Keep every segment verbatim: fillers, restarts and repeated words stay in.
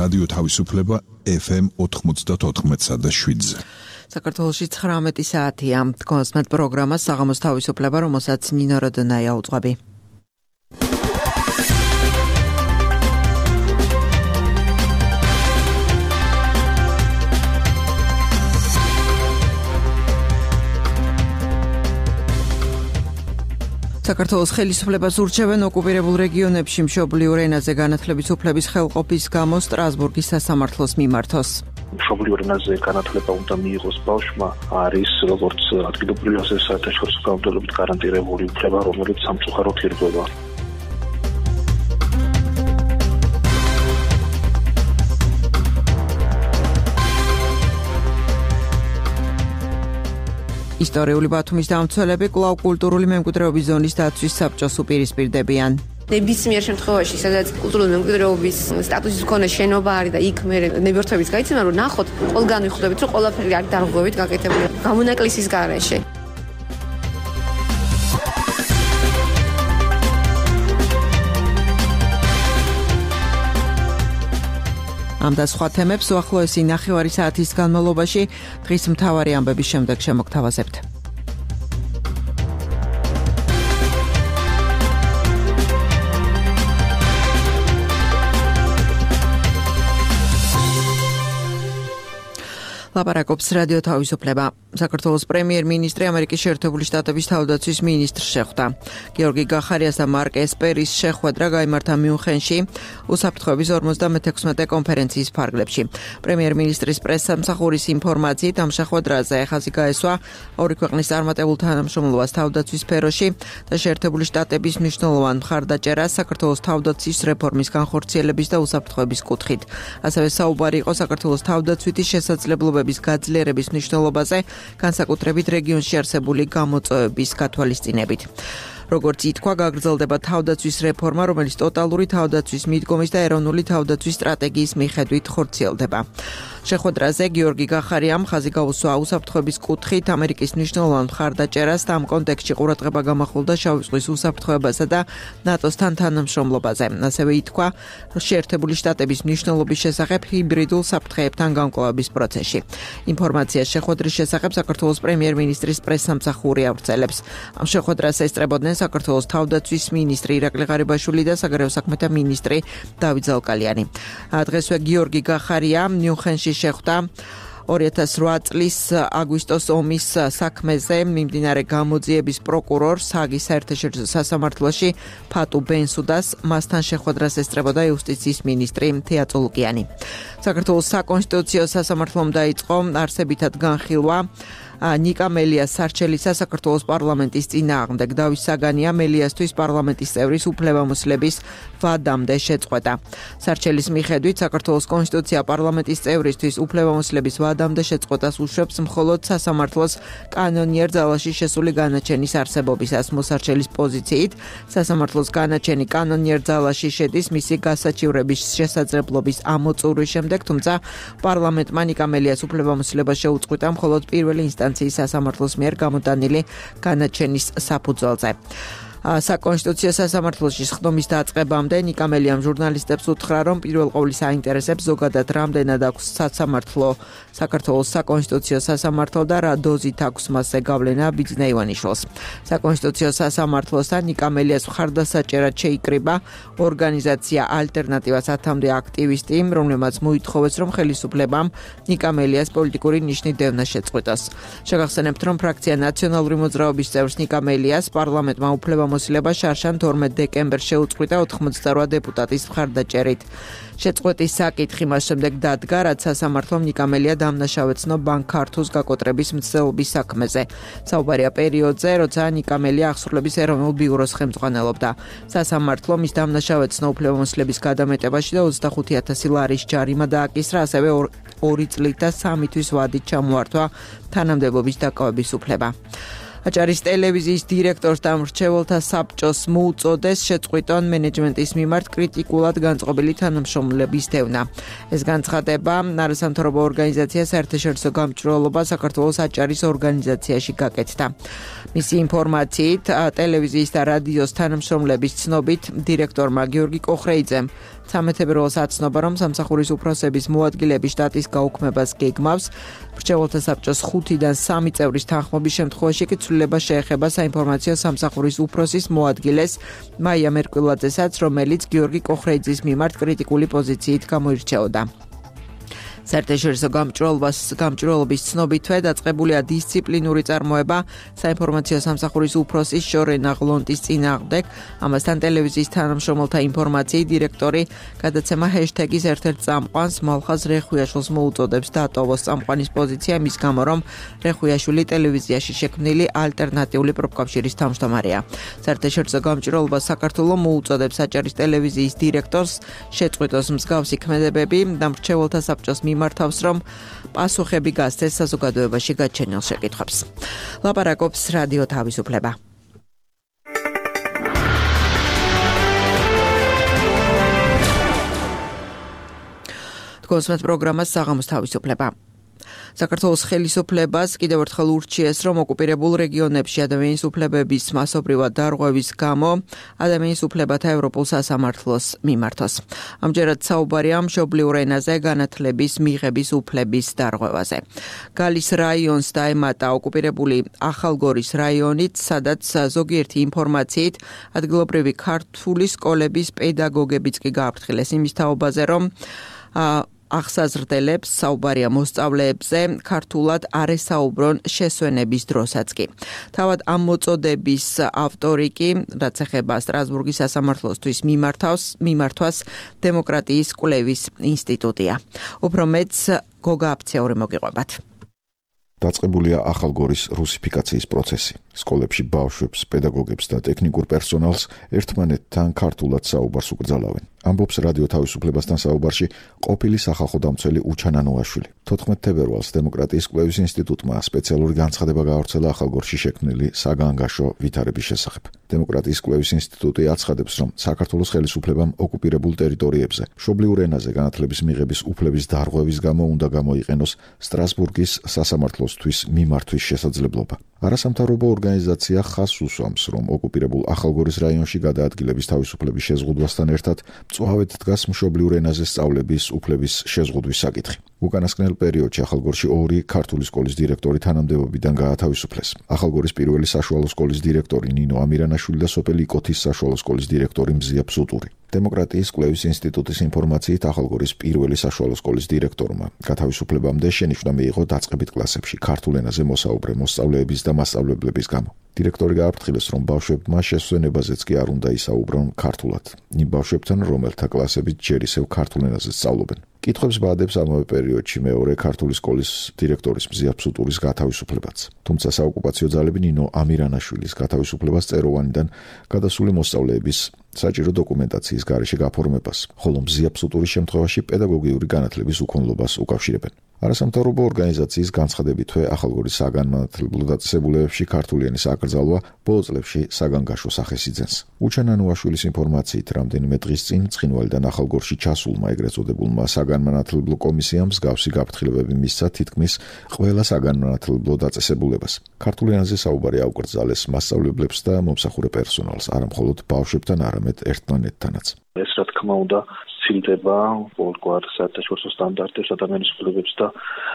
რადიო თავისუფლება ეფ ემ ოთხმოცდაოთხ და შვიდზე. საქართველოში ცხრამეტი საათია. კონსმეთ პროგრამა საღამოს თავისუფლება, რომელსაც ნინო როდონაია უძღვები. საქართველოს ხელისუფლებას ურჩევენ ოკუპირებულ რეგიონებში მშობლიურ ენაზე განათლების უფლების ხელყოფის გამო სტრასბურგის სასამართლოს მიმართოს. მშობლიურ ენაზე განათლება უნდა მიიღოს ბავშვმა არის როგორც ადგილობრივი ასე საერთაშორისო განმავლობით გარანტირებული უფლება, რომელიც სამწუხაროდ ირღვევა. ისტორიული ბათუმის დამცველები კვლავ კულტურული მემკვიდრეობის ზონის დაცვის საბჭოს უპირისპირდებიან. ნებისმიერ შემთხვევაში, სადაც კულტურული მემკვიდრეობის სტატუსის მქონე შენობა არის და იქ მე ნებერთვების გაიცემა, რომ ნახოთ, ყველგან ვიხვდებით, რომ ყველაფერი არის დარღვევით გაკეთებული გამონაკლისის გარეშე. ამ და სხვა თემებს უახლოესი ნახევარი საათის განმავლობაში დღის მთავარი ამბების შემდეგ შემოგთავაზებთ. ლაპარაკობს რადიო თავისუფლება. საქართველოს პრემიერ-მინისტრი ამერიკის შეერთებული შტატების თავდაცვის მინისტრს შეხვდა. გიორგი გახარიას და მარკ ესპერის შეხვედრა გაიმართა მიუნხენში უსაფრთხოების ორმოცდამეექვსმეტე კონფერენციის ფარგლებში. პრემიერ-მინისტრის პრესსამსახურის ინფორმაციით ამ შეხვედრაზე ხაზი გაესვა ორი ქვეყნის წარმატებულ თანამშრომლობას თავდაცვის სფეროში და შეერთებული შტატების მნიშვნელოვან მხარდაჭერას საქართველოს თავდაცვის რეფორმის განხორციელების და უსაფრთხოების კუთხით. ასევე საუბარი იყო საქართველოს თავდაცვითი შესაძლებლობების გაძლიერების მნიშვნელობაზე, განსაკუთრებით რეგიონში არსებული გამოწვევების გათვალისწინებით. როგორც ითქვა, გაგრძელდება თავდაცვის რეფორმა, რომელიც ტოტალური თავდაცვის მიდგომის და ეროვნული თავდაცვის სტრატეგიის მიხედვით ხორციელდება. შეხვედრაზე გიორგი გახარიამ ხაზი გაუსვა უსაფრთხოების კუთხით ამერიკის მნიშვნელოვან მხარდაჭერას და ამ კონტექსტში ყურადღება გამახვილდა შავი ზღვის უსაფრთხოებასა და ნატოსთან თანამშრომლობაზე. ასევე ითქვა, შეერთებული შტატების მნიშვნელობის შესახებ ჰიბრიდულ საფრთხეებთან გამკლავების პროცესში. ინფორმაციას შეხვედრის შესახებ საქართველოს პრემიერ-მინისტრის პრესსამსახური ავრცელებს. ამ შეხვედრას ესწრებოდნენ საქართველოს თავდაცვის მინისტრი ირაკლი ღარიბაშვილი და საგარეო საქმეთა მინისტრი დავით ზალკალიანი. დღესვე გიორგი გახარია მიუნხენში შეხვდა ორი ათას რვა წლის აგვისტოს ომის საქმეზე მიმდინარე გამოძიების პროკურორს ჰაგის საერთაშორისო სასამართლოში ფატუ ბენსუდას, მასთან შეხვედრას ესწრებოდა იუსტიციის მინისტრი თეა წულუკიანი. საქართველოს საკონსტიტუციო სასამართლომ დაიწყო არსებითად განხილვა ნიკა მელიას სარჩელისა საქართველოს პარლამენტის წინააღმდეგ. დავით საგანია მელიასთვის პარლამენტის წევრის უფლებამოსილების ვადამდე შეწყვეტა. სარჩელის მიხედვით საქართველოს კონსტიტუცია პარლამენტის წევრისთვის უფლებამოსილების ვადამდე შეწყვეტას უშვებს მხოლოდ სასამართლოს კანონიერ ძალაში შესული განაჩენის არსებობისას. მოსარჩელის პოზიციით სასამართლოს განაჩენი კანონიერ ძალაში შედის მისი გასაჩივრების შესაძლებლობის ამოწურვის შემდეგ, თუმცა პარლამენტმა ნიკა მელიას უფლებამოსილება შეუწყვეტა მხოლოდ პირველი ინსტანციის სასამართლოს მიერ გამოტანილი განაჩენის საფუძველზე. საკონსტიტუციო სასამართლოში სხდომის დაწყებამდე ნიკა მელიამ ჟურნალისტებს უთხრა, რომ პირველ ყოვლის აინტერესებს ზოგადად რამდენად აქვს სასამართლო, საქართველოს საკონსტიტუციო სასამართლო და რა დოზით აქვს მასზე გავლენა ბიძინა ივანიშვილს. საკონსტიტუციო სასამართლოსთან ნიკა მელიას მხარდასაჭერად შეიკრიბა ორგანიზაცია ალტერნატივა სათამდე აქტივისტი, რომელმაც მოითხოვეს, რომ ხელისუფლებამ ნიკა მელიას პოლიტიკური ნიშნით დევნა შეწყვეტოს. შეგახსენებთ, რომ ფრაქცია ნაციონალური მოძრაობის წევრს ნიკა მელიას პარლამენტმა უფლება მოსილება შარშან თორმეტ დეკემბერს შეუწყვეტა ოთხმოცდარვა დეპუტატის მხარდაჭერით. შეწყვეტის საკითხი მას შემდეგ დადგა, რაც სასამართლომ ნიკა მელია დამნაშავეცნო ბანკ ქართულს გაკოტრების მცდელობის საქმეზე. საუბარია პერიოდზე, როცა ნიკა მელია აღსრულების ეროვნულ ბიუროს ხელმძღვანელობდა. სასამართლომ ის დამნაშავეცნო უფლებამოსილების გადამეტებაში და ოცდახუთი ათასი ლარის ჯარიმა დააკისრა, ასევე ორი წლით და სამი თვის ვადით ჩამოართვა თანამდებობის დაკავების უფლება. აჭარის ტელევიზიის დირექტორს და მრჩეველთა საბჭოს მოუწოდეს შეწყვიტონ მენეჯმენტის მიმართ კრიტიკულად განწყობილი თანამშრომლების დევნა. ეს განცხადება არასამთავრობო ორგანიზაცია საერთაშორისო გამჭვირვალობა საქართველოს აჭარის ორგანიზაციაში გაკეთდა. მისი ინფორმაციით, ტელევიზიის და რადიოს თანამშრომლების ცნობით, დირექტორმა გიორგი კოხრეიძემ სამეთებერვალს აცნობა, რომ სამსახურის უფროსების მოადგილეების შტატის გაუქმებას გეგმავს. მრჩეველთა საბჭოს ხუთიდან სამი წევრის თანხმობის შემთხვევაში კი ცვლილება შეეხება საინფორმაციო სამსახურის უფროსის მოადგილეს მაია მერკვილაძესაც, რომელიც გიორგი კოხრეიძის მიმართ კრიტიკული პოზიციით გამოირჩეოდა. საერთაშორისო გამჭვირვალობას გამჭვირვალობის ცნობითვე დაწყებულია დისციპლინური წარმოება საინფორმაციო სამსახურის უფროსის შორენა ღლონტის წინააღმდეგ. ამასთან ტელევიზიის თანამშრომელთა ინფორმაციით დირექტორი გადაცემა ჰეშტეგის ერთ-ერთ წამყვანს მალხაზ რეხვიაშვილს მოუწოდებს დატოვოს წამყვანის პოზიცია მის გამო, რომ რეხვიაშვილი ტელევიზიაში შექმნილი ალტერნატიული პროფკავშირის თავმჯდომარეა. საერთაშორისო გამჭვირვალობა საქართველოს მოუწოდებს აჭარის ტელევიზიის დირექტორს შეწყვიტოს მსგავსი ქმედებები და მრჩეველთა საბჭოს მართავს, რომ პასუხები გასცეს საზოგადოებაში გაჩენილ შეკითხვებს. ლაპარაკობს რადიო თავისუფლება. თქვენს პროგრამას საღამოს თავისუფლება. საქართველოს ხელისუფლებას კიდევ ერთხელ ურჩიეს, რომ ოკუპირებულ რეგიონებში ადამიანის უფლებების მასობრივად დარღვევის გამო ადამიანის უფლებათა ევროპულ სასამართლოს მიმართოს. ამჯერად საუბარია მშობლიურ ენაზე განათლების მიღების უფლების დარღვევაზე. გალის რაიონს დაემატა ოკუპირებული ახალგორის რაიონით, სადაც ზოგიერთი ინფორმაციით ადგილობრივი ქართული სკოლების პედაგოგებიც კი გააფრთხილეს იმის თაობაზე, რომ აღსაზრდელებს საუბარია მოსწავლეებზე ქართულად არ ესაუბრონ შესვენების დროსაც კი. თავად ამ მოწოდების ავტორი კი, რაც ეხება სტრასბურგის სასამართლოსთვის მიმართვას დემოკრატიის კვლევის ინსტიტუტია. უფრო მეც გოგა აფცეური მოგიყვებათ. დაწყებულია ახალგორის რუსიფიკაციის პროცესი. სკოლებში ბავშვებს, პედაგოგებს და ტექნიკურ პერსონალს ერთმანეთთან ქართულად საუბარს უკრძალავენ. ამბობს რადიო თავისუფლებასთან საუბარში ყოფილი სახალხო დამცველი უჩან ანუაშვილი. თოთხმეტ თებერვალს დემოკრატიის კვლევის ინსტიტუტმა სპეციალური განცხადება გაავრცელა ახალგორში შექმნილი საგანგაშო ვითარების შესახებ. დემოკრატიის კვლევის ინსტიტუტი აცხადებს, რომ საქართველოს ხელისუფლებამ ოკუპირებულ ტერიტორიებზე მშობლიურ ენაზე განათლების მიღების უფლების დარღვევის გამო უნდა გამოიყენოს სტრასბურგის სასამართლოსთვის მიმართვის შესაძლებლობა. არასამთავრობო ორგანიზაცია ხაზს უსვამს, რომ ოკუპირებულ ახალგორის რაიონში გადაადგილების თავისუფლების შეზღუდვასთან ერთად მწვავედ დგას მშობლიურ ენაზე სწავლების უფლების შეზღუდვის საკითხი. უკანასკნელ პერიოდში ახალგორში ორი ქართული სკოლის დირექტორი თანამდებობიდან გაათავისუფლეს. ახალგორის პირველი საშუალო სკოლის დირექტორი ნინო ამირანაშვილი და სოფელი იკოთის საშუალო სკოლის დირექტორი მზია ფსუტური. დემოკრატიის კვლევის ინსტიტუტის ინფორმაციით ახალგორის პირველი საშუალო სკოლის დირექტორმა გათავისუფლებამდე შენიშვნა მიიღო დაწყებით კლასებში ქართულ ენაზე მოსაუბრე მოსწავლეების და მასწავლებლების გამო. დირექტორი გააფრთხილეს, რომ ბავშვებმა შესვენებაზეც კი არ უნდა ისაუბრონ ქართულად. იმ ბავშვებთან, რომელთა კლასებით ჯერ ისევ ქართულ ენაზე სწავლობენ. კითხვებს ბადებს ამავე პერიოდში მეორე ქართული სკოლის დირექტორის მზია ფსუტურის გათავისუფლებაც. თუმცა საოკუპაციო ძალები ნინო ამირანაშვილის გათავისუფლებას წეროვანიდან გადასული მოსწავლეების საჭირო დოკუმენტაციის გარეშე გაფორმებას, ხოლო მზია ფსუტურის შემთხვევაში პედაგოგიური განათლების უქონლობას უკავშირებენ. არასამთავრობო ორგანიზაციის განცხადებითვე ახალგორის საგანმანათლებლო დაწესებულებებში ქართული ენის აკრძალვა ბოლო წლებში საგანგაშო სახეს იძენს. უჩან ანუაშვილის ინფორმაციით, რამდენიმე დღის წინ ცხინვალიდან ახალგორში ჩასულმა ეგრეთ წოდებულმა საგანმანათლებლო კომისიამ მსგავსი გაფრთხილებები მისცა თითქმის ყველა საგანმანათლებლო დაწესებულებას. ქართულ ენაზე საუბარი აუკრძალეს მასწავლებლებს და მომსახურე პერსონალს, არა მხოლოდ ბავშვებთან, არამედ ერთმანეთთანაც. ეს რა თქმა უნდა ცილდება ყოველგვარ საერთაშორისო სტანდარტებს ადამიანის უფლებებს და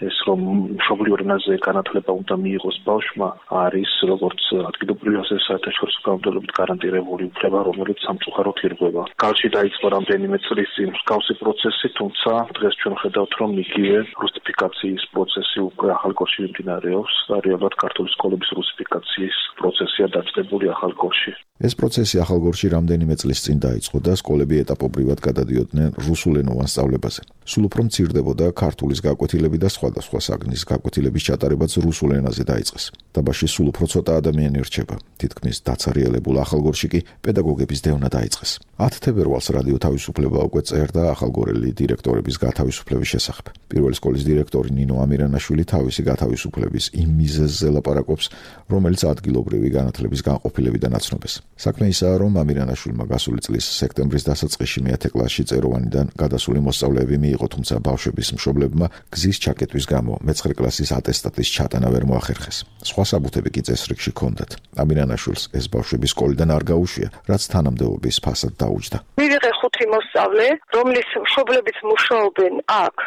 ეს რომ მშობლიურ ენაზე განათლება უნდა მიიღოს ბავშვმა არის როგორც ადგილობრივი ასე საერთაშორისო განმტკიცებით გარანტირებული უფლება, რომელიც სამწუხაროდ ირღვევა. კალში დაიწყო რამდენიმე წლის წინ მსგავსი პროცესი, თუმცა დღეს ჩვენ ხედავთ, რომ იგივე რუსიფიკაციის პროცესი უკვე ახალგორში მიმდინარეობს და რეალურად ქართული სკოლების რუსიფიკაციის პროცესია დაწყებული ახალგორში. ეს პროცესი ახალგორში რამდენიმე წლის წინ დაიწყო და სკოლები ეტაპობრივად გადადიოდნენ რუსულენოვან სწავლებაზე. სულ უფრო მცირდებოდა ქართულის გაკვეთილები და სხვადასხვა საგნის გაკვეთილების ჩატარებაც რუსულ ენაზე დაიწყეს. დაბაში სულ უფრო ცოტა ადამიანი რჩება. თითქმის დაცარიელებულ ახალგორში კი პედაგოგების დევნა დაიწყეს. ათი თებერვალს რადიო თავისუფლება უკვე წერდა ახალგორელი დირექტორების გათავისუფლების შესახებ. პირველი სკოლის დირექტორი ნინო ამირანაშვილი თავისი გათავისუფლების იმ მიზეზზე ლაპარაკობს, რომელიც ადგილობრივი განათლების განყოფილებიდან აცნობეს. საქმე ისაა, რომ ამირანაშვილმა გასული წლის სექტემბრის დასაწყისში მეათე კლასში წეროვანიდან გადასული მოსწავლეები მიიღო, თუმცა ბავშვების მშობლებმა გზის ჩაკეტვის გამო მეცხრე კლასის ატესტატის ჩატანა ვერ მოახერხეს. სხვა საბუთები კი წესრიგში ჰქონდათ. ამირანაშვილს ეს ბავშვები სკოლიდან არ გაუშვია, რაც თანამდებობის ფასად დაუჯდა. მივიღე ხუთი მოსწავლე, რომლის მშობლებიც მუშაობენ აქ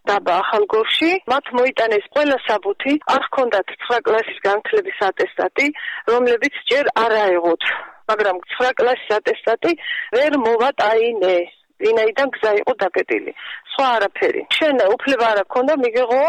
დაბა ახალგორში, მათ მოიტანეს ყველა საბუთი, არ ჰქონდათ ცხრა კლასის განათლების ატესტატი, რომლებიც ჯერ არ აეღოთ, მაგრამ ცხრა კლასის ატესტატი ვერ მოვატაინე, ვინაიდან გზა იყო დაკეტილი. სხვა არაფერი. შენ უფლება არ აქვს მიგეღო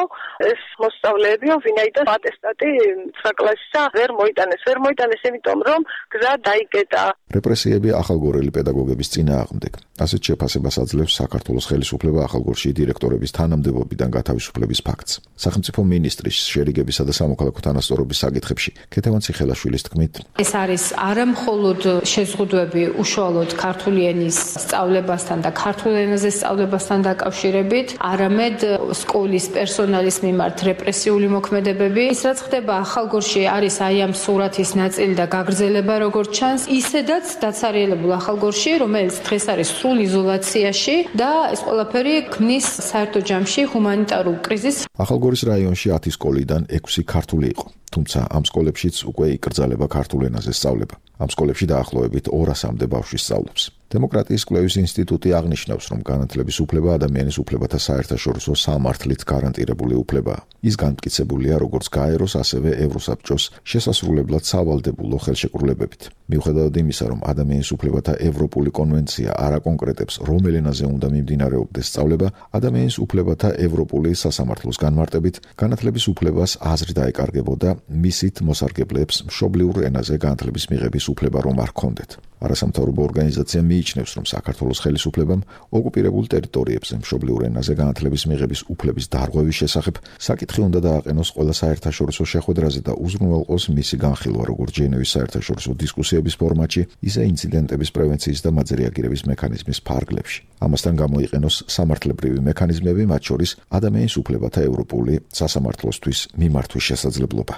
ეს მოსწავლეები, ვინაიდან ატესტატი ცხრა კლასისა ვერ მოიტანეს, ვერ მოიტანეს, იმიტომ რომ გზა დაიკეტა. რეპრესიები ახალგორელი პედაგოგების წინააღმდეგ. ასეთ შეფასებას აძლევს საქართველოს ხელისუფლება ახალგორში დირექტორების თანამდებობიდან გათავისუფლების ფაქტს. სახელმწიფო მინისტრის შერიგებისა და სამოქალაქო თანასწორობის საკითხებში ქეთევან ციხელაშვილის თქმით, ეს არის არა მხოლოდ შეზღუდვები უშუალოდ ქართული ენის სწავლებასთან და ქართულ ენაზე სწავლებასთან დაკავშირებით, არამედ სკოლის პერსონალის მიმართ რეპრესიული მოქმედებები. ის რაც ხდება ახალგორში არის აი ამ სურათის ნაწილი და გაგრძელება როგორც ჩანს, ისედაც დაცარიელებულ ახალგორში, რომელიც დღეს არის სრულ იზოლაციაში და ეს ყველაფერი ქმნის საერთო ჯამში ჰუმანიტარულ კრიზისს. ახალგორის რაიონში ათი სკოლიდან ექვსი ქართული იყო. თუმცა ამ სკოლებშიც უკვე იკრძალება ქართულ ენაზე სწავლება. ამ სკოლებში დაახლოებით ორასამდე ბავშვი სწავლობს. დემოკრატიის კვლევის ინსტიტუტი აღნიშნავს, რომ განათლების უფლება ადამიანის უფლებათა საერთაშორისო სამართლით გარანტირებული უფლებაა. ის განმტკიცებულია როგორც გაეროს, ასევე ევროსაბჭოს შესასრულებლად სავალდებულო ხელშეკრულებებით. მიუხედავად იმისა, რომ ადამიანის უფლებათა ევროპული კონვენცია არ აკონკრეტებს, რომელ ენაზე უნდა მიმდინარეობდეს სწავლება, ადამიანის უფლებათა ევროპული სასამართლოს განმარტებით, განათლების უფლებას აზრი დაეკარგებოდა მისით მოსარგებლეებს მშობლიურ ენაზე განათლების მიღების უფლება რომ არ ჰქონდეთ. არასამთავრობო ორგანიზაცია მიიჩნევს, რომ საქართველოს ხელისუფლებამ ოკუპირებულ ტერიტორიებზე მშობლიურ ენაზე განათლების მიღების უფლების დარღვევის შესახებ საკითხი უნდა დააყენოს ყველა საერთაშორისო შეხვედრაზე და უზრუნველყოს მისი განხილვა როგორც ჟენევის საერთაშორისო დისკუსიების ფორმატში, ისე ინციდენტების პრევენციის და მათზე რეაგირების მექანიზმის ფარგლებში. ამასთან გამოიყენოს სამართლებრივი მექანიზმები, მათ შორის ადამიანის უფლებათა ევროპული სასამართლოსთვის მიმართვის შესაძლებლობა.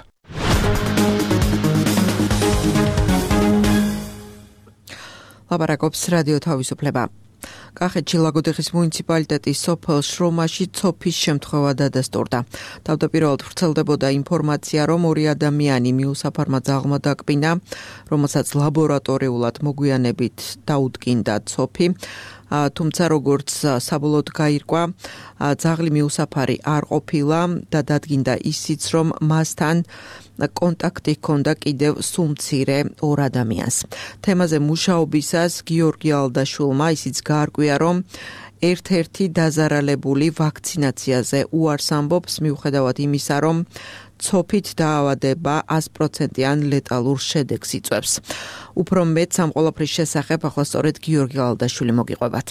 ლაპარაკობს რადიო თავისუფლება. კახეთში ლაგოდეხის მუნიციპალიტეტის სოფელ შრომაში ცოფის შემთხვევა დადასტურდა. თავდაპირველად ვრცელდებოდა ინფორმაცია, რომ ორი ადამიანი მიუსაფარმა ძაღლმა დაკბინა, რომელსაც ლაბორატორიულად მოგვიანებით დაუდგინდა ცოფი. თუმცა როგორც საბოლოოდ გაირკვა, ძაღლი მიუსაფარი არ ყოფილა და დადგინდა ისიც, რომ მასთან კონტაქტი ჰქონდა კიდევ სულ მცირე ორ ადამიანს. თემაზე მუშაობისას გიორგი ალდაშვილმა ისიც გაარკვია, რომ ერთ-ერთი დაზარალებული ვაქცინაციაზე უარს ამბობს, მიუხედავად იმისა, რომ ცოფით დაავადება ას პროცენტიან ლეტალურ შედეგს იწვევს. უფრო მეტ ამ ყველაფრის შესახებ ახლა სწორედ გიორგი ალდაშვილი მოგიყვებათ.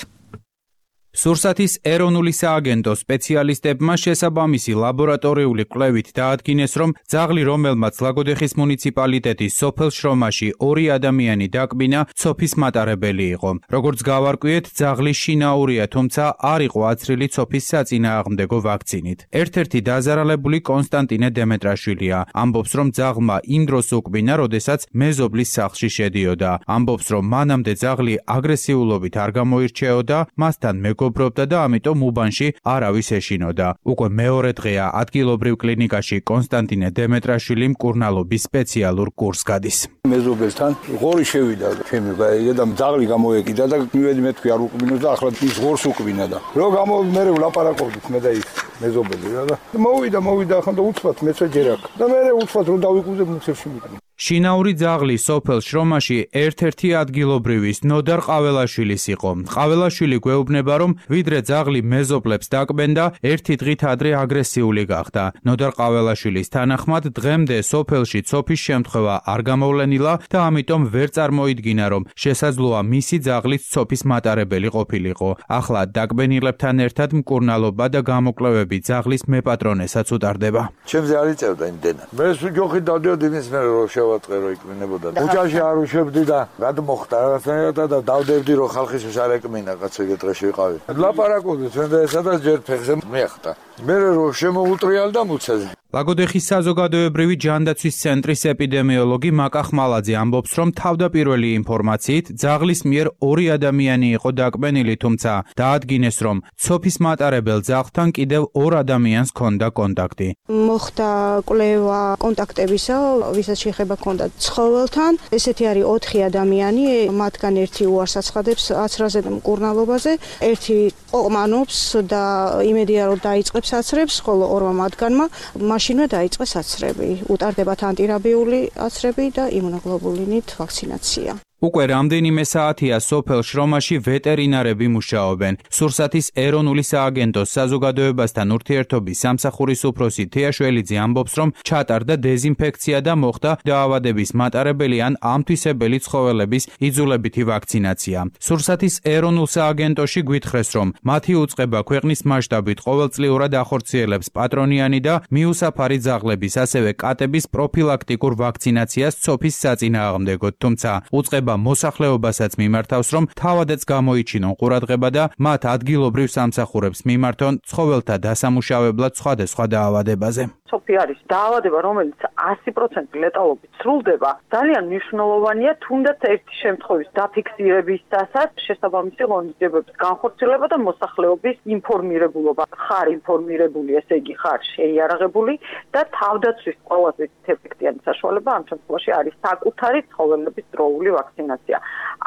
სურსათის ეროვნული სააგენტოს სპეციალისტებმა შესაბამისი ლაბორატორიული კვლევით დაადგინეს, რომ ძაღლი, რომელმაც ლაგოდეხის მუნიციპალიტეტის სოფელ შრომაში ორი ადამიანი დაკბინა, ცოფის მატარებელი იყო. როგორც გავარკვიეთ, ძაღლი შინაურია, თუმცა არ იყო აცრილი ცოფის საწინააღმდეგო ვაქცინით. ერთ-ერთი დაზარალებული კონსტანტინე დემეტრაშვილია. ამბობს, რომ ძაღლმა იმ დროს უკბინა, როდესაც მეზობლის სახლში შედიოდა. ამბობს, რომ მანამდე ძაღლი აგრესიულობით არ გამოირჩეოდა, მასთან მეგობრობდა და ამიტომ უბანში არავის ეშინოდა. უკვე მეორე დღეა ადგილობრივ კლინიკაში კონსტანტინე დემეტრაშვილი მკურნალობის სპეციალურ კურსს გადის. მეზობელთან ღორი შევიდა ჩემი გაიგე და ძაღლი გამოეკიდა და მივედი მე თქვი არ უკბინოს და ახლა ის ღორს უკბინა და რო გამო მე ვლაპარაკობდით მე და ის მეზობელი რა და მოვიდა მოვიდა ახლა და უცბად მეც ჯერ აქ და მე უცბად რომ დავიკუზე მუცევში მიყნა. შინაური ძაღლი სოფელ შრომაში ერთ-ერთი ადგილობრივის ნოდარ ყაველაშვილის იყო. ყაველაშვილი გვეუბნება, რომ ვიდრე ძაღლი მეზობლებს დაკბენდა, ერთი დღით ადრე აგრესიული გახდა. ნოდარ ყაველაშვილის თანახმად, დღემდე სოფელში ცოფის შემთხვევა არ გამოვლენილა და ამიტომ ვერ წარმოიდგინა, რომ შესაძლოა მისი ძაღლიც ცოფის მატარებელი ყოფილიყო. ახლა დაკბენილებთან ერთად მკურნალობა და გამოკვლევები ძაღლის მეპატრონესაც უტარდება. ჩემზე არ იწევდა იმდენა. მე სუჯოხი დავდიოდი მის მერე რომ შევაწყერო იქნებოდა. უჯაში არ უშვებდი და გადმოხდა რაღაცნაირად და დავდებდი რომ ხალხისთვის არ ეკმინა კაცო ეგ დღეში ვიყავი. ლაპარაკობდი ჩვენ და სადაც ჯერ ფეხზე მეახტა. მე რომ შემოუტრიალდა მუცაზე. ლაგოდეხის საზოგადოებრივი ჯანდაცვის ცენტრის ეპიდემიოლოგი მაკა ხმალაძე ამბობს, რომ თავდაპირველი ინფორმაციით ძაღლის მიერ ორი ადამიანი იყო დაკბენილი, თუმცა დაადგინეს, რომ ცოფის მატარებელ ძაღლთან კიდევ ორ ადამიანს ჰქონდა კონტაქტი. მოხდა კვლევა კონტაქტებისა, ვისაც შეხება ჰქონდა ცხოველთან. ესეთი არის ოთხი ადამიანი, მათგან ერთი უარს აცხადებს აცრაზე და მკურნალობაზე, ერთი ყოყმანობს და იმედია რომ დაიწყებს აცრებს, ხოლო ორმა მათგანმა მაშინვე დაიწყეს აცრები. უტარდებათ ანტირაბიული აცრები და იმუნოგლობულინით ვაქცინაცია. უკვე რამდენიმე საათია სოფელ შრომაში ვეტერინარები მუშაობენ. სურსათის ეროვნული სააგენტოს საზოგადოებასთან ურთიერთობის სამსახურის უფროსი თეაშველიძე ამბობს, რომ ჩატარდა დეზინფექცია და მოხდა დაავადების მატარებელი ან ამთვისებელი ცხოველების იძულებითი ვაქცინაცია. სურსათის ეროვნულ სააგენტოში გვითხრეს, რომ მათი უწყება ქვეყნის მასშტაბით ყოველწლიურად ახორციელებს პატრონიანი და მიუსაფარი ძაღლების, ასევე კატების პროფილაქტიკურ ვაქცინაციას ცოფის საწინააღმდეგოდ, თუმცა უწყება მოსახლეობასაც მიმართავს, რომ თავადაც გამოიჩინონ ყურადღება და მათ ადგილობრივ სამსახურებს მიმართონ ცხოველთა დასამუშავებლად სხვადასხვა დაავადებაზე. ცოფი არის დაავადება, რომელიც ასი პროცენტი ლეტალობით სრულდება. ძალიან მნიშვნელოვანია თუნდაც ერთი შემთხვევის დაფიქსირებისთასაც შესაბამისი ღონისძიებების განხორციელება და მოსახლეობის ინფორმირებულობა. ხარ ინფორმირებული, ესე იგი ხარ შეიარაღებული და თავდაცვის ყველაზე ეფექტიანი საშუალება ამ შემთხვევაში არის საკუთარი ცხოველების დროული ვაქცინაცია.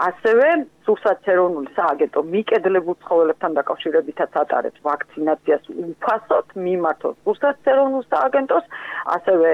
ასევე სურსათის ეროვნული სააგენტო მიკედლებულ ცხოველებთან დაკავშირებითაც ატარებს ვაქცინაციას უფასოდ, მიმართოს სურსათის ეროვნულ სააგენტოს, ასევე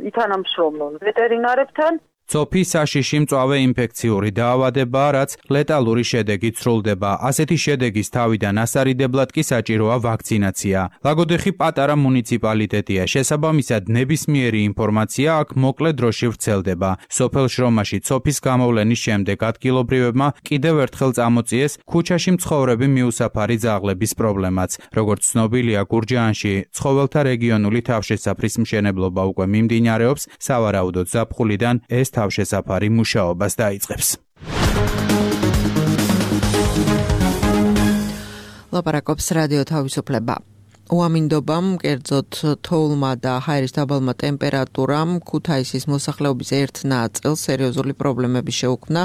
ითანამშრომლონ ვეტერინარებთან. ცოფი საშიში მწვავე ინფექციური დაავადებაა, რაც ლეტალური შედეგით სრულდება. ასეთი შედეგის თავიდან ასარიდებლად კი საჭიროა ვაქცინაცია. ლაგოდეხი პატარა მუნიციპალიტეტია, შესაბამისად ნებისმიერი ინფორმაცია აქ მოკლე დროში ვრცელდება. სოფელ შრომაში ცოფის გამოვლენის შემდეგ ადგილობრივებმა კიდევ ერთხელ წამოწიეს ქუჩაში მცხოვრები მიუსაფარი ძაღლების პრობლემაც. როგორც ცნობილია, გურჯაანში ცხოველთა რეგიონული თავშესაფრის მშენებლობა უკვე მიმდინარეობს, სავარაუდოდ ზაფხულიდან ეს თავშესაფარი მუშაობას დაიწყებს. ლაპარაკობს რადიო თავისუფლება. უამინდობამ, კერძოდ თოვლმა და ჰაერის დაბალმა ტემპერატურამ ქუთაისის მოსახლეობის ერთ ნაწილს სერიოზული პრობლემები შეუქმნა.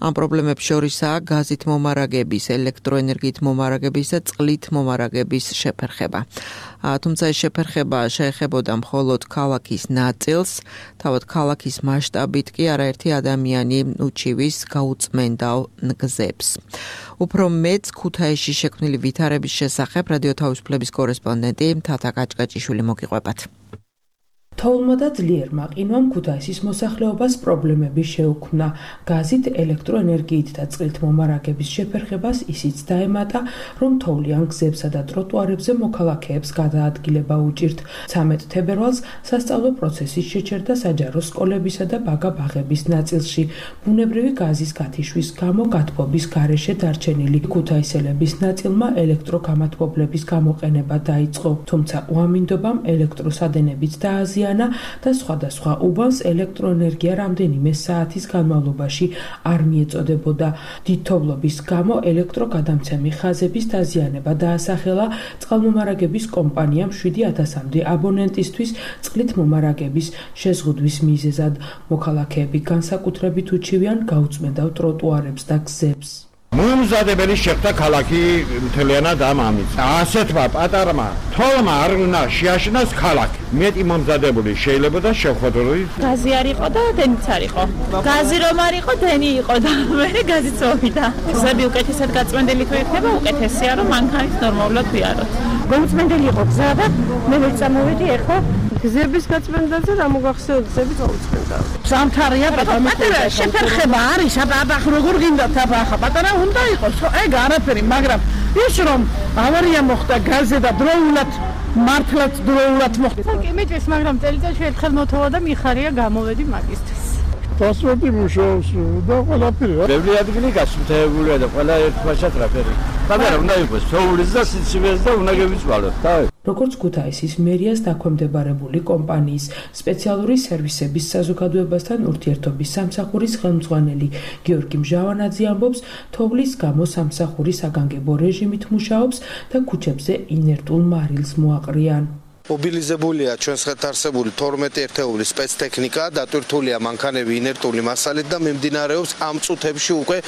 ამ პრობლემებს შორისაა გაზით მომარაგების, ელექტროენერგიით მომარაგების და წყლით მომარაგების შეფერხება. თუმცა ეს შეფერხება შეეხებოდა მხოლოდ ქალაქის ნაწილს, თავად ქალაქის მასშტაბით კი არაერთი ადამიანი უჩივის გაუწმენდავ გზებს. უფრო მეც ქუთაისში შექმნილი ვითარების შესახებ რადიო თავისუფლების კორესპონდენტი თათა კაჭკაჭიშვილი მოგიყვებათ. თოვლმა და ძლიერმა ყინვამ ქუთაისის მოსახლეობას პრობლემები შეუქმნა. გაზით, ელექტროენერგიით და წყლით მომარაგების შეფერხებას ისიც დაემატა, რომ თოვლიან გზებსა და ტროტუარებზე მოქალაქეებს გადაადგილება უჭირთ. ცამეტ თებერვალს სასწავლო პროცესი შეჩერდა საჯარო სკოლებისა და ბაგა-ბაღების ნაწილში. ბუნებრივი გაზის გათიშვის გამო გათბობის გარეშე დარჩენილი ქუთაისელების ნაწილმა ელექტროგამათბობლების გამოყენება დაიწყო, თუმცა უამინდობამ ელექტროსადენებიც დააზიანა და სხვადასხვა უბანს ელექტროენერგია რამდენიმე საათის განმავლობაში არ მიეწოდებოდა. დიდთოვლობის გამო ელექტროგადამცემი ხაზების დაზიანება დაასახელა წყალმომარაგების კომპანიამ შვიდი ათასამდე აბონენტისთვის წყლით მომარაგების შეზღუდვის მიზეზად. მოქალაქეები განსაკუთრებით უჩივიან გაუწმენდავ ტროტუარებს და გზებს. მომზადებელი შეხვდა ქალაქი მთლიანად ამ ამით. ასეთმა პატარმა თოვლმა არ უნდა შეაშინოს ქალაქი. მეტი მომზადებული შეიძლება და შეხვედრული. გაზი არ იყო და დენიც არ იყო. გაზი რომ არ იყო, დენი იყო და მე გაზიც მოვიდა. გზები უკეთესად გაწმენდილი თუ იქნება, უკეთესია რომ მანქანით ნორმალურად ვიაროთ. გაუწმენდელი იყო გზა და მე ვერ წამოვედი, ეხლა გზების გაწმენდაზე რა მოგახსენოთ გზები წავუწყდა. სამთარია პატარა შეფერხება არის აბა როგორ გინდათ აბა ხა პატარა უნდა იყოს ხო ეგ არაფერი მაგრამ ის რომ ავარია მოხდა გაზზე და დროულად მართლაც დროულად მოხდა. კი მეჭეს მაგრამ წელიწადში ერთხელ მოთხოვა და მიხარია გამოვედი მაგისტრის. პასპორტი მუშაობს და ყველაფერი. ბევრი ადგილი გასუფთავებულია და ყველა ერთმანეთს რაფერი. მაგრამ უნდა იყოს ფეულის და სიცივეს და უნდა გევიწვალოთ. თავი. როგორც ქუთაისის მერიას დაქვემდებარებული კომპანიის სპეციალური სერვისების საზოგადოებასთან ურთიერთობის სამსახურის ხელმძღვანელი გიორგი მჟავანაძე ამბობს, თოვლის გამო სამსახური საგანგებო რეჟიმით მუშაობს და ქუჩებზე ინერტულ მარილს მოაყრიან. მობილიზებულია ჩვენს ხელთ არსებული თორმეტი ერთეული სპეცტექნიკა, დატვირთულია მანქანები ინერტული მასალით და მიმდინარეობს ამ წუთებში უკვე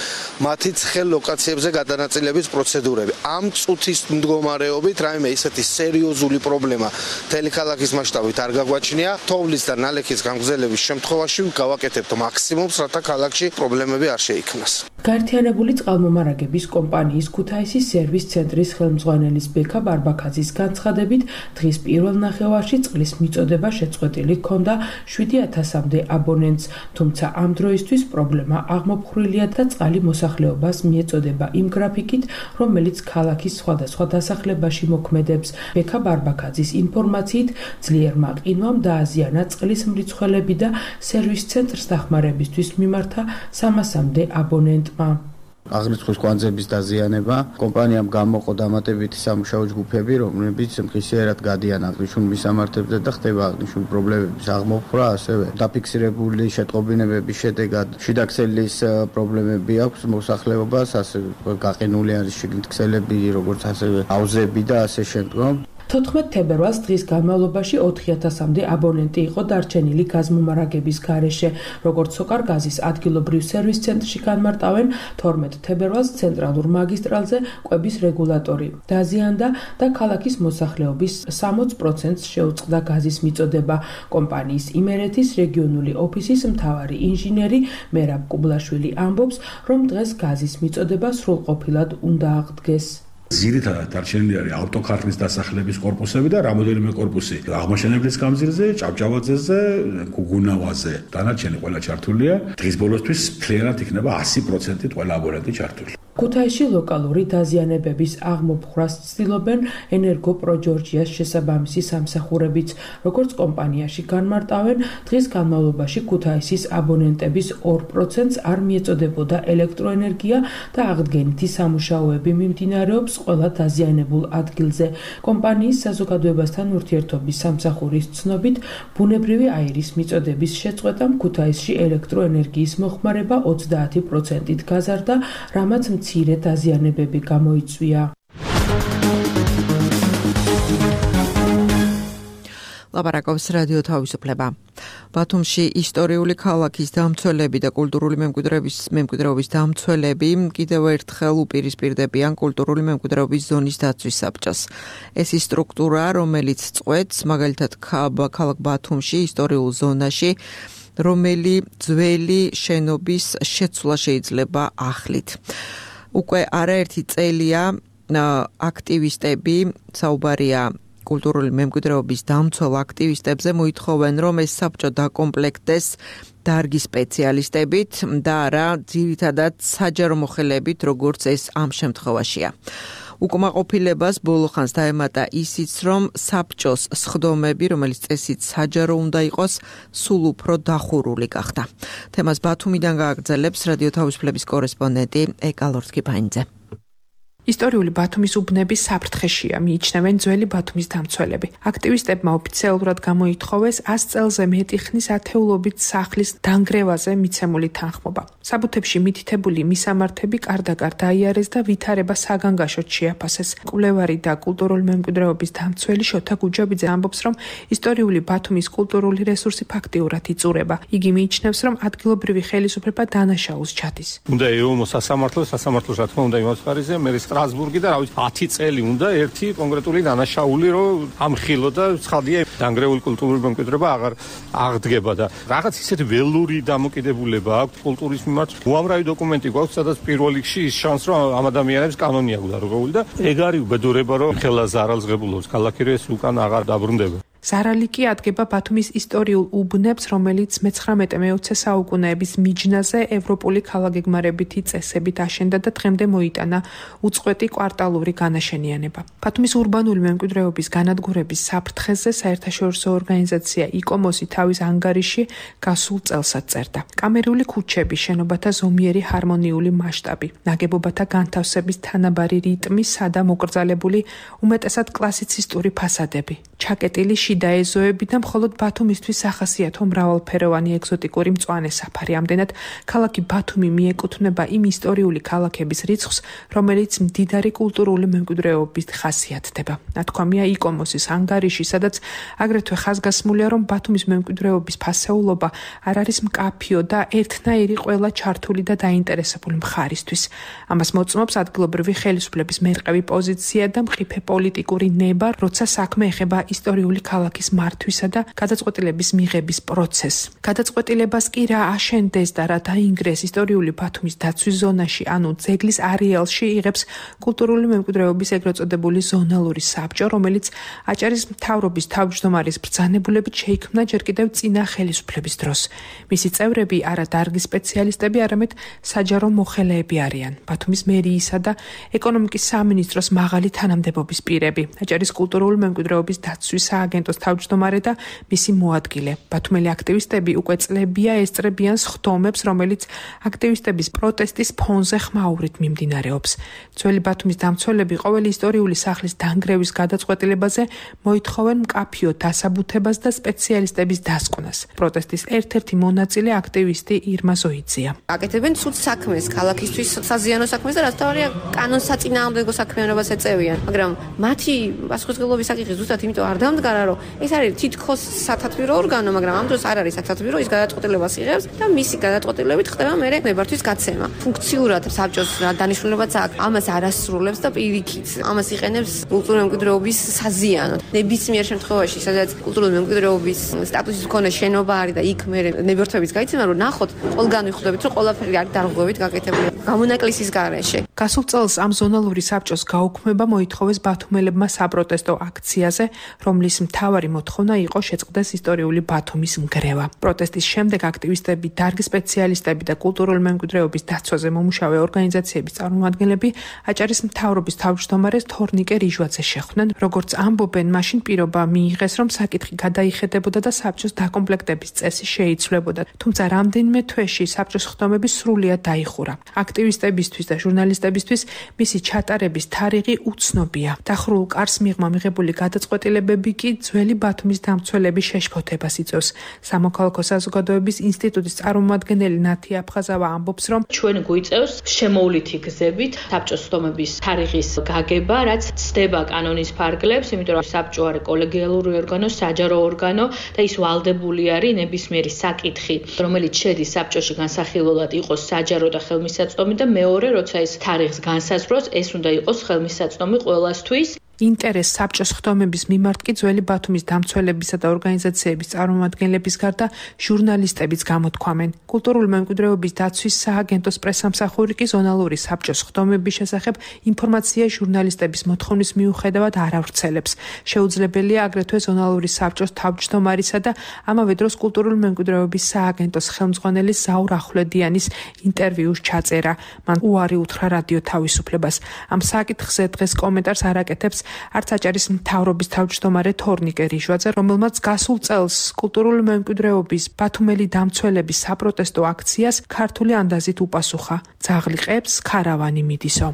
მათი ცხელ ლოკაციებზე გადანაწილების პროცედურები. ამ წუთის მდგომარეობით რაიმე ისეთი სერიოზული პრობლემა მთელი ქალაქის მასშტაბით არ გაგვაჩნია. თოვლის და ნალექის გამგზელების შემთხვევაში გავაკეთებთ მაქსიმუმს, რათა ქალაქში პრობლემები არ შეიქმნას. გაერთიანებული წყალმომარაგების კომპანიის ქუთაისის სერვის ცენტრის ხელმძღვანელის ბექა ბარბაქაძის განცხადებით, დღის პირველ ნახევარში წყლის მიწოდება შეწყვეტილი ჰქონდა შვიდი ათასამდე აბონენტს, თუმცა ამ დროისთვის პრობლემა აღმოფხვრილია და წყალი მოსახლეობას მიეწოდება იმ გრაფიკით, რომელიც ქალაქის სხვადასხვა დასახლებაში მოქმედებს. ბექა ბარბაქაძის ინფორმაციით, ძლიერმა ყინვამ დააზიანა წყლის მრიცხველები და სერვის ცენტრს დახმარებისთვის მიმართა სამასამდე აბონენტმა. აღრიცხვის კვანძების დაზიანება კომპანიამ გამოყო დამატებითი სამუშაო ჯგუფები, რომლებიც მყისიერად გადიან აღნიშნულ მისამართებზე და ხდება აღნიშნული პრობლემების აღმოფხვრა, ასევე დაფიქსირებული შეტყობინებების შედეგად შიდაქსელის პრობლემები აქვს მოსახლეობას, ასევე გაყინული არის შიგნით ქსელები, როგორც ასევე აუზები და ასე შემდგომ. თოთხმეტ თებერვალს დღის განმავლობაში ოთხი ათასამდე აბონენტი იყო დარჩენილი გაზმომარაგების გარეშე. როგორც სოკარგაზის ადგილობრივ სერვის ცენტრში განმარტავენ, თორმეტ თებერვალს ცენტრალურ მაგისტრალზე კვების რეგულატორი დაზიანდა და ქალაქის მოსახლეობის სამოც პროცენტს შეუწყდა გაზის მიწოდება. კომპანიის იმერეთის რეგიონული ოფისის მთავარი ინჟინერი მერაბ კუბლაშვილი ამბობს, რომ დღეს გაზის მიწოდება სრულყოფილად უნდა აღდგეს. ძირითადად დარჩენილი არის ავტოქარხნის დასახლების კორპუსები და რამოდენიმე კორპუსი აღმაშენებლის გამზირზე, ჭავჭავაძეზე, გუგუნავაზე. დანარჩენი ყველა ჩართულია. დღის ბოლოსთვის მთლიანად იქნება ასი პროცენტი ყველა აბონენტი ჩართული. ქუთაისში ლოკალური დაზიანებების აღმოფხვრას ცდილობენ ენერგო პროჯორჯიას შესაბამისი სამსახურებიც. როგორც კომპანიაში განმარტავენ, დღის განმავლობაში ქუთაისის აბონენტების ორ პროცენტს არ მიეწოდებოდა ელექტროენერგია და აღდგენითი სამუშაოები მიმდინარეობს ყველა დაზიანებულ ადგილზე. კომპანიის საზოგადოებასთან ურთიერთობის სამსახურის ცნობით, ბუნებრივი აირის მიწოდების შეწყვეტამ ქუთაისში ელექტროენერგიის მოხმარება ოცდაათი პროცენტით გაზარდა, რამაც მცირე დაზიანებები გამოიწვია. ლაპარაკობს რადიო თავისუფლება. ბათუმში ისტორიული ქალაქის დამცველები და კულტურული მემკვიდრეობის მემკვიდრეობის დამცველები კიდევ ერთხელ უპირისპირდებიან კულტურული მემკვიდრეობის ზონის დაცვის საბჭოს. ეს ის სტრუქტურა, რომელიც წყვეტს მაგალითად ქალაქ ბათუმში ისტორიულ ზონაში, რომელი ძველი შენობის შეცვლა შეიძლება ახლით. უკვე არაერთი წელია აქტივისტები, საუბარია კულტურული მემკვიდრეობის დამცველ აქტივისტებზე, მოითხოვენ, რომ ეს საბჭო დაკომპლექტდეს დარგის სპეციალისტებით და არა ძირითადად საჯარო მოხელეებით, როგორც ეს ამ შემთხვევაშია. უკმაყოფილებას ბოლოხანს დაემატა ისიც, რომ საბჭოს სხდომები, რომელიც წესით საჯარო უნდა იყოს, სულ უფრო დახურული გახდა. თემას ბათუმიდან გააგრძელებს რადიო თავისუფლების კორესპონდენტი ეკა ლორთქიფანიძე. ისტორიული ბათუმის უბნების საფრთხეშია, მიიჩნევენ ძველი ბათუმის დამცველები. აქტივისტებმა ოფიციალურად გამოითხოვეს ას წელზე მეტი ხნის ათეულობით სახლის დანგრევაზე მიცემული თანხმობა. საბუთებში მითითებული მისამართები კარდაკარ დაიარეს და ვითარება საგანგაშოდ შეაფასეს. კვლევარი და კულტურული მემკვიდრეობის დამცველი შოთა გუჯაბიძე ამბობს, რომ ისტორიული ბათუმის კულტურული რესურსი ფაქტიურად იწურება. იგი მიიჩნევს, რომ ადგილობრივი ხელისუფლება დანაშაულს ჩადის. უნდა ეომო სასამართლო, სასამართლოს რა თქმა უნდა იმას ფარიზე, მე სტრასბურგი და რავი ათი წელი უნდა ერთი კონკრეტული დანაშაული რომ ამხილო და ცხადია დანგრეული კულტურული მემკვიდრეობა აღარ აღდგება და რაღაც ისეთი ველური დამოკიდებულება აქვს კულტურის მიმართ. უამრავი დოკუმენტი გვაქვს, სადაც პირველ რიგში ის შანს რომ ამ ადამიანებს კანონი აქვს დარღვეული და ეგ არის უბედურება რომ ხელა ზარალს ღებულობს ქალაქი რომ ეს უკან აღარ დაბრუნდება. ზარალი კი ადგება ბათუმის ისტორიულ უბნებს, რომელიც მეცხრამეტე მეოცე საუკუნეების მიჯნაზე ევროპული ქალაქგეგმარებითი წესებით აშენდა და დღემდე მოიტანა უწყვეტი კვარტალური განაშენიანება. ბათუმის ურბანული მემკვიდრეობის განადგურების საფრთხეზე საერთაშორისო ორგანიზაცია იკომოსი თავის ანგარიში გასულ წელსაც წერდა. კამერული ქუჩები, შენობათა ზომიერი ჰარმონიული მასშტაბი, ნაგებობათა განთავსების თანაბარი რიტმი, სადა მოკრძალებული უმეტესად კლასიცისტური ფასადები, ჩაკეტილი შიდა ეზოები და მხოლოდ ბათუმისთვის სახასიათო მრავალფეროვანი ეგზოტიკური მწვანე საფარი. ამდენად ქალაქი ბათუმი მიეკუთვნება იმ ისტორიული ქალაქების რიცხვს, რომელიც მდიდარი კულტურული მემკვიდრეობით ხასიათდება. ნათქვამია იკომოსის ანგარიში, სადაც აგრეთვე ხაზგასმულია, რომ ბათუმის მემკვიდრეობის ფასეულობა არ არის მკაფიო და ერთნაირი ყველა ჩართული და დაინტერესებული მხარისთვის. ამას მოწმობს ადგილობრივი ხელისუფლების მერყევი პოზიცია და მყიფე პოლიტიკური ნება, როცა საქმე ეხება ისტორიული ქალაქის მართვისა და გადაწყვეტილების მიღების პროცესს. გადაწყვეტილებას კი რა აშენდეს და რა დაინგრეს ისტორიული ბათუმის დაცვის ზონაში, ანუ ძეგლის არეალში იღებს კულტურული მემკვიდრეობის ეგრეთ წოდებული ზონალური საბჭო, რომელიც აჭარის მთავრობის თავმჯდომარის ბრძანებულებით შეიქმნა ჯერ კიდევ წინა ხელისუფლების დროს. მისი წევრები არა დარგის სპეციალისტები, არამედ საჯარო მოხელეები არიან. ბათუმის მერიისა და ეკონომიკის სამინისტროს მაღალი თანამდებობის პირები, აჭარის კულტურული მემკვიდრეობის დაცვის სააგენტოს თავმჯდომარე და მისი მოადგილე. ბათუმელი აქტივისტები უკვე წლებია ესწრებიან სხდომებს, რომელიც აქტივისტების პროტესტის ფონზე ხმაურით მიმდინარეობს. ძველი ბათუმის დამცველები ყოველი ისტორიული სახლის დანგრევის გადაწყვეტილებაზე მოითხოვენ მკაფიო დასაბუთებას და სპეციალისტების დასკვნას. პროტესტის ერთ-ერთი მონაწილე აქტივისტი ირმა ზოიძია. აკეთებენ ცუდ საქმეს, ქალაქისთვის საზიანო საქმეს და რაც თავარია კანონსაწინააღმდეგო საქმიანობას ეწევიან, მაგრამ მათი პასუხისმგებლობის საკითხი ზუსტად იმიტომ არ დამდგარა, რომ ეს არის თითქოს სათათბირო ორგანო, მაგრამ ამ დროს არ არის სათათბირო, ის გადაწყვეტილებას იღებს და მისი გადაწყვეტილებით ხდება მერე ნებართვის გაცემა. ფუნქციურად საბჭოს რა დანიშნულებაც აქვს, ამას არ ასრულებს და პირიქით ამას იყენებს კულტურული მემკვიდრეობის საზიანოდ. ნებისმიერ შემთხვევაში, სადაც კულტურული მემკვიდრეობის სტატუსის მქონე შენობა არის და იქ მერე ნებართვების გაიცემა, რომ ნახოთ, ყველგან ვიხვდებით, რომ ყველაფერი არის დარღვევით გაკეთებული გამონაკლისის გარეშე. გასულ წელს ამ ზონალური საბჭოს გაუქმება მოითხოვეს ბათუმელებმა საპროტესტო აქციაზე, რომლის მთავარი მოთხოვნა იყო შეწყდეს ისტორიული ბათუმის ნგრევა. პროტესტის შემდეგ აქტივისტები, დარგის სპეციალისტები და კულტურული მემკვიდრეობის დაცვაზე მომუშავე ორგანიზაციების წარმომადგენლები აჭარის მთავრობის თავმჯდომარეს თორნიკე რიჟვაძე შეხვდნენ. როგორც ამბობენ, მაშინ პირობა მიიღეს, რომ საკითხი გადაიხედებოდა და საბჭოს დაკომპლექტების წესი შეიცვლებოდა. თუმცა რამდენიმე თვეში საბჭოს ხდომები სრულიად დაიხურა. აქტივისტებისთვის და ჟურნალისტებისთვის მისი ჩატარების თარიღი უცნობია. დახურულ კარს მიღმა მიღებული გადაწყვეტილებები კი ძველი ბათუმის დამცველების შეშფოთებას იწვევს. სამოქალაქო საზოგადოების ინსტიტუტის წარმომადგენელი ნათი აფხაზავა ამბობს, რომ ჩვენ გვიწევს შემოვლითი გზებით საბჭოს ხდომების თარიღის გაგება, რაც ცდება კანონის ფარგლებს, იმიტომ რომ საბჭო არის კოლეგიალური ორგანო, საჯარო ორგანო და ის ვალდებული არის ნებისმიერი საკითხი, რომელიც შედის საბჭოში განსახილველად იყოს საჯარო და ხელმისაწვდომი და მეორე, როცა ეს თარიღს განსაზღვროს, ეს უნდა იყოს ხელმისაწვდომი ყველასთვის. ინტერეს საბჭოს ხდომების მიმართ კი ძველი ბათუმის დამცველებისა და ორგანიზაციების წარმომადგენლების გარდა ჟურნალისტებიც გამოთქვამენ. კულტურული მემკვიდრეობის დაცვის სააგენტოს პრესამსახური კი ზონალური საბჭოს ხდომების შესახებ ინფორმაცია ჟურნალისტების მოთხოვნის მიუხედავად არ ავრცელებს. შეუძლებელია აგრეთვე ზონალური საბჭოს თავმჯდომარისა და ამავე დროს კულტურული მემკვიდრეობის სააგენტოს ხელმძღვანელის ზაურ ახვლედიანის ინტერვიუს ჩაწერა. მან უარი უთხრა რადიო თავისუფლებას. ამ საკითხზე დღეს კომენტარს არ აკეთებს არც აჭარის მთავრობის თავმჯდომარე თორნიკე რიჟვაძე, რომელმაც გასულ წელს კულტურული მემკვიდრეობის ბათუმელი დამცველების საპროტესტო აქციას ქართული ანდაზით უპასუხა. ძაღლი ყებს, ქარავანი მიდისო.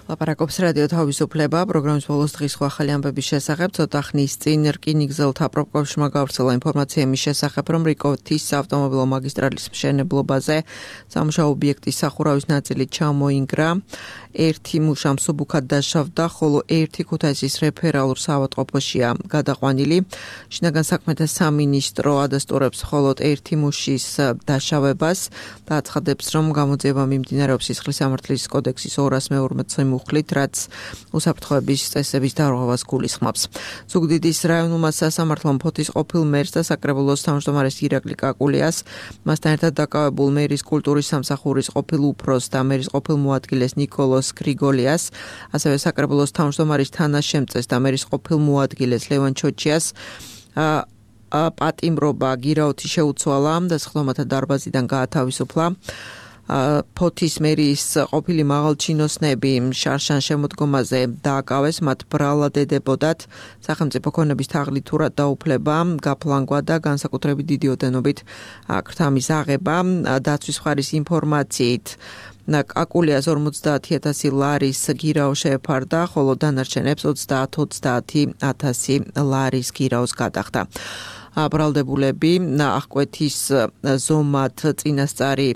ლაპარაკობს რადიო თავისუფლება, პროგრამის ბოლოს დღის სხვა ახალი ამბების შესახებ. ცოტა ხნის წინ რკინიგზელთა პროპკავშირმა გავრცელა ინფორმაცია იმის შესახებ, რომ რიკოთის ავტომობილო მაგისტრალის მშენებლობაზე სამუშაო ობიექტის სახურავის ნაწილი ჩამოინგრა. ერთი მუშა მსუბუქად დაშავდა, ხოლო ერთი ქუთაისის რეფერალურ საავადმყოფოშია გადაყვანილი. შინაგან საქმეთა სამინისტრო ადასტურებს მხოლოდ ერთი მუშის დაშავებას და აცხადებს, რომ გამოძიება მიმდინარეობს სისხლის სამართლის კოდექსის ორას მეორმოცე მუხლით, რაც უსაფრთხოების წესების დარღვევას გულისხმობს. ზუგდიდის რაიონულმა სასამართლომ ფოთის ყოფილ მერს და საკრებულოს თავმჯდომარეს ირაკლი კაკულიას, მასთან ერთად დაკავებულ მერის კულტურის სამსახურის ყოფილ უფროსს და მერის ყოფილ მოადგილეს ნიკოლოს გრიგოლიას, ასევე საკრებულოს თავმჯდომარის თანაშემწეს და მერის ყოფილ მოადგილეს ლევან ჩოჩიას პატიმრობა გირაოთი შეუცვალა და სხდომათა დარბაზიდან გაათავისუფლა. ფოთის მერის ყოფილი მაღალჩინოსნები შარშან შემოდგომაზე დააკავეს, მათ ბრალად ედებოდათ სახელმწიფო ქონების თაღლითურად დაუფლება, გაფლანგვა და განსაკუთრებით დიდი ოდენობით ქრთამის აღება. დაცვის მხარის ინფორმაციით კაკულიას ორმოცდაათი ათასი ლარის გირაო შეეფარდა, ხოლო დანარჩენებს ოცდაათ-ოცდაათი ათასი ლარის გირაოს გადახდა. ბრალდებულები აღკვეთის ზომად წინასწარი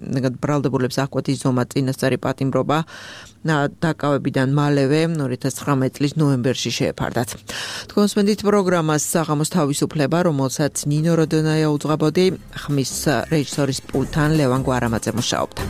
ბრალდებულებს აღკვეთის ზომად წინასწარი პატიმრობა დაკავებიდან მალევე ორი ათას ცხრამეტი წლის ნოემბერში შეეფარდათ. თქვენს მენდით პროგრამას საღამოს თავისუფლება, რომელსაც ნინო როდონაია უძღვებოდი, ხმის რეჟისორის პულტთან ლევან გვარამაძე მუშაობდა.